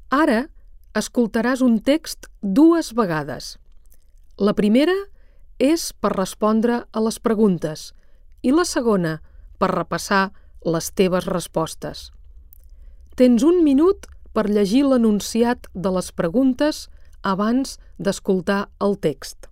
Ara escoltaràs un text 2 vegades. La primera és per respondre a les preguntes i la segona per repassar les teves respostes. Tens 1 minut per llegir l'enunciat de les preguntes abans d'escoltar el text.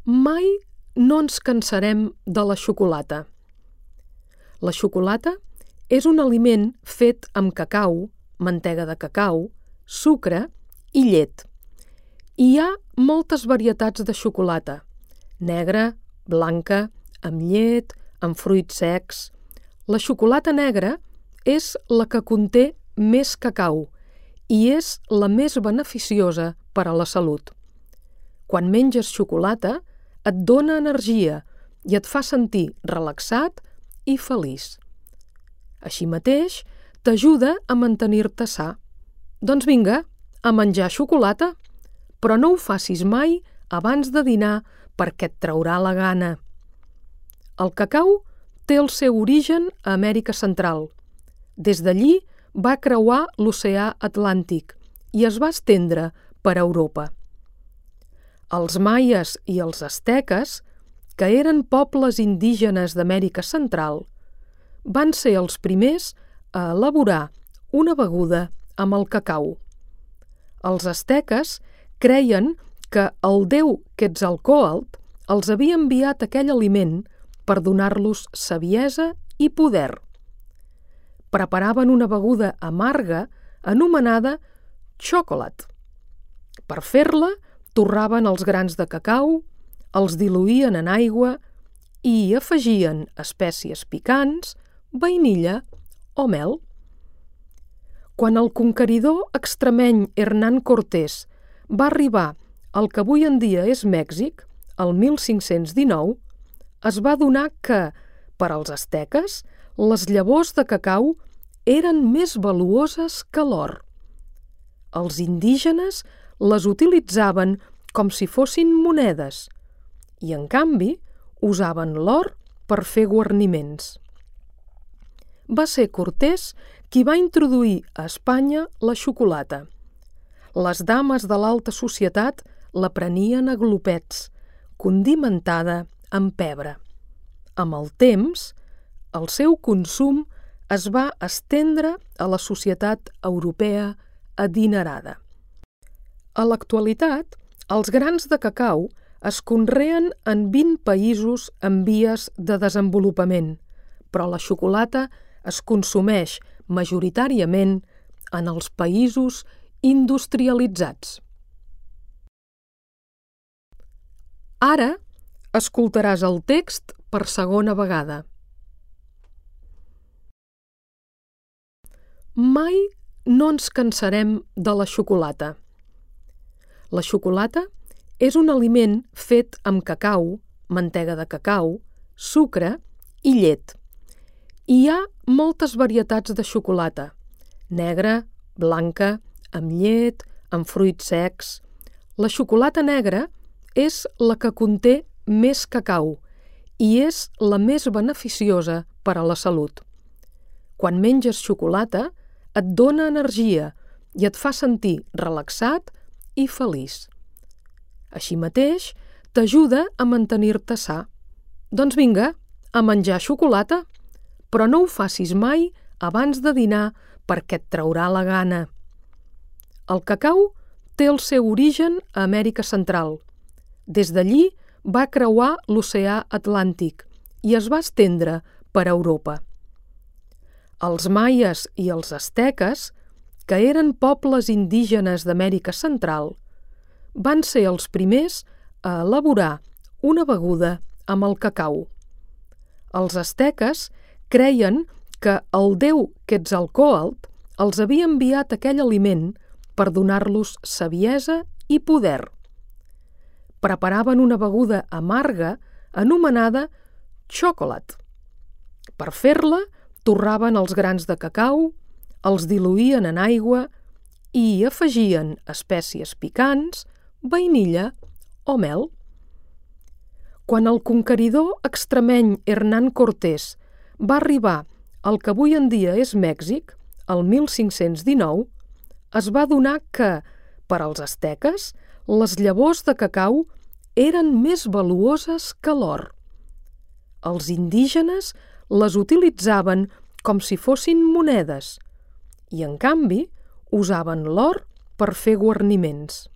Mai no ens cansarem de la xocolata. La xocolata és un aliment fet amb cacau, mantega de cacau, sucre i llet. Hi ha moltes varietats de xocolata: negra, blanca, amb llet, amb fruits secs. La xocolata negra és la que conté més cacau i és la més beneficiosa per a la salut. Quan menges xocolata, et dona energia i et fa sentir relaxat i feliç. Així mateix, t'ajuda a mantenir-te sa. Doncs vinga, a menjar xocolata, però no ho facis mai abans de dinar perquè et traurà la gana. El cacau té el seu origen a Amèrica Central. Des d'allí va creuar l'oceà Atlàntic i es va estendre per Europa. Els maies i els asteques, que eren pobles indígenes d'Amèrica Central, van ser els primers a elaborar una beguda amb el cacau. Els asteques creien que el déu Quetzalcóatl els havia enviat aquell aliment per donar-los saviesa i poder. Preparaven una beguda amarga anomenada xocolat. Per fer-la, torraven els grans de cacau, els diluïen en aigua i hi afegien espècies picants, vainilla o mel. Quan el conqueridor extremeny Hernán Cortés va arribar al que avui en dia és Mèxic, el 1519, es va adonar que, per als asteques, les llavors de cacau eren més valuoses que l'or. Els indígenes les utilitzaven com si fossin monedes i, en canvi, usaven l'or per fer guarniments. Va ser Cortés qui va introduir a Espanya la xocolata. Les dames de l'alta societat la prenien a glopets, condimentada amb pebre. Amb el temps, el seu consum es va estendre a la societat europea adinerada. A l'actualitat, els grans de cacau es conreen en 20 països en vies de desenvolupament, però la xocolata es consumeix majoritàriament en els països industrialitzats. Ara escoltaràs el text per segona vegada. Mai no ens cansarem de la xocolata. La xocolata és un aliment fet amb cacau, mantega de cacau, sucre i llet. Hi ha moltes varietats de xocolata: negra, blanca, amb llet, amb fruits secs. La xocolata negra és la que conté més cacau i és la més beneficiosa per a la salut. Quan menges xocolata, et dona energia i et fa sentir relaxat i feliç. Així mateix, t'ajuda a mantenir-te sa. Doncs vinga, a menjar xocolata, però no ho facis mai abans de dinar perquè et traurà la gana. El cacau té el seu origen a Amèrica Central. Des d'allí va creuar l'oceà Atlàntic i es va estendre per Europa. Els maies i els asteques, que eren pobles indígenes d'Amèrica Central, van ser els primers a elaborar una beguda amb el cacau. Els asteques creien que el déu Quetzalcóatl els havia enviat aquell aliment per donar-los saviesa i poder. Preparaven una beguda amarga anomenada xocolat. Per fer-la, torraven els grans de cacau, els diluïen en aigua i hi afegien espècies picants, vainilla o mel. Quan el conqueridor extremeny Hernán Cortés va arribar al que avui en dia és Mèxic, el 1519, es va adonar que, per als asteques, les llavors de cacau eren més valuoses que l'or. Els indígenes les utilitzaven com si fossin monedes i, en canvi, usaven l'or per fer guarniments.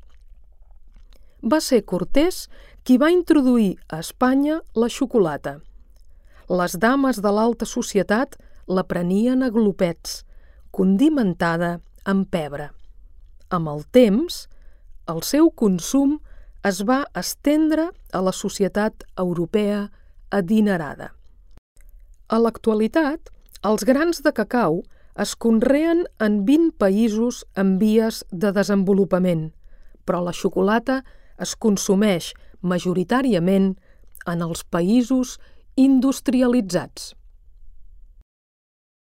Va ser Cortés qui va introduir a Espanya la xocolata. Les dames de l'alta societat la prenien a glopets, condimentada amb pebre. Amb el temps, el seu consum es va estendre a la societat europea adinerada. A l'actualitat, els grans de cacau es conreen en 20 països en vies de desenvolupament, però la xocolata es consumeix majoritàriament en els països industrialitzats.